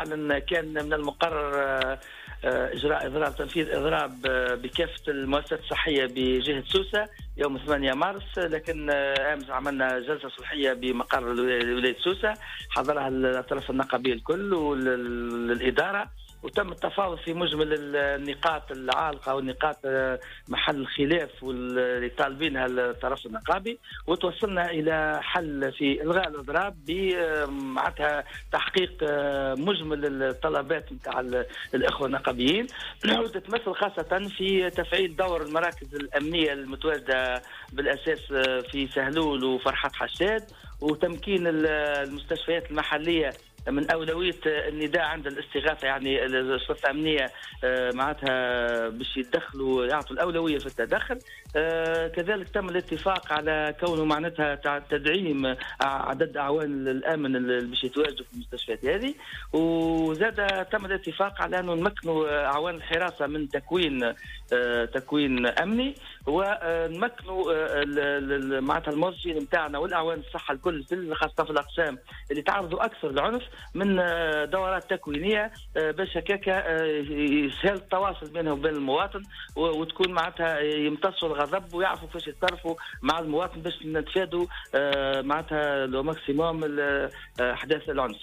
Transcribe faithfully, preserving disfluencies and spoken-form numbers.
فعلا كان من المقرر اجراء اضراب، تنفيذ اضراب بكافة المؤسسات الصحية بجهة سوسة يوم ثمانية مارس، لكن امس عملنا جلسه صلحيه بمقر ولاية سوسة حضرها الاطراف النقابيه الكل والاداره، وتم التفاوض في مجمل النقاط العالقة والنقاط محل الخلاف واللي طالبينها الطرف النقابي، وتوصلنا الى حل في الغاء الاضراب بمعناتها تحقيق مجمل الطلبات نتاع الاخوة النقابيين، وتتمثل خاصة في تفعيل دور المراكز الامنية المتواجدة بالاساس في سهلول وفرحات حشاد، وتمكين المستشفيات المحلية من أولوية النداء عند الاستغاثة، يعني الشرطة الأمنية معناتها باش يتدخلوا يعطوا الأولوية في التدخل. كذلك تم الاتفاق على كونه معناتها تدعيم عدد أعوان الأمن اللي باش يتواجدوا في المستشفيات هذه، وزاد تم الاتفاق على أنه نمكنوا أعوان الحراسة من تكوين تكوين أمني، ونمكنوا معناتها الموظفين نتاعنا والأعوان الصحة الكل خاصة في الأقسام اللي تعرضوا أكثر للعنف من دورات تكوينيه باش هكاكا يسهل التواصل بينهم وبين المواطن، وتكون معناتها يمتصوا الغضب ويعرفوا كيفاش يتصرفوا مع المواطن باش نتفادوا معناتها le maximum احداث العنف.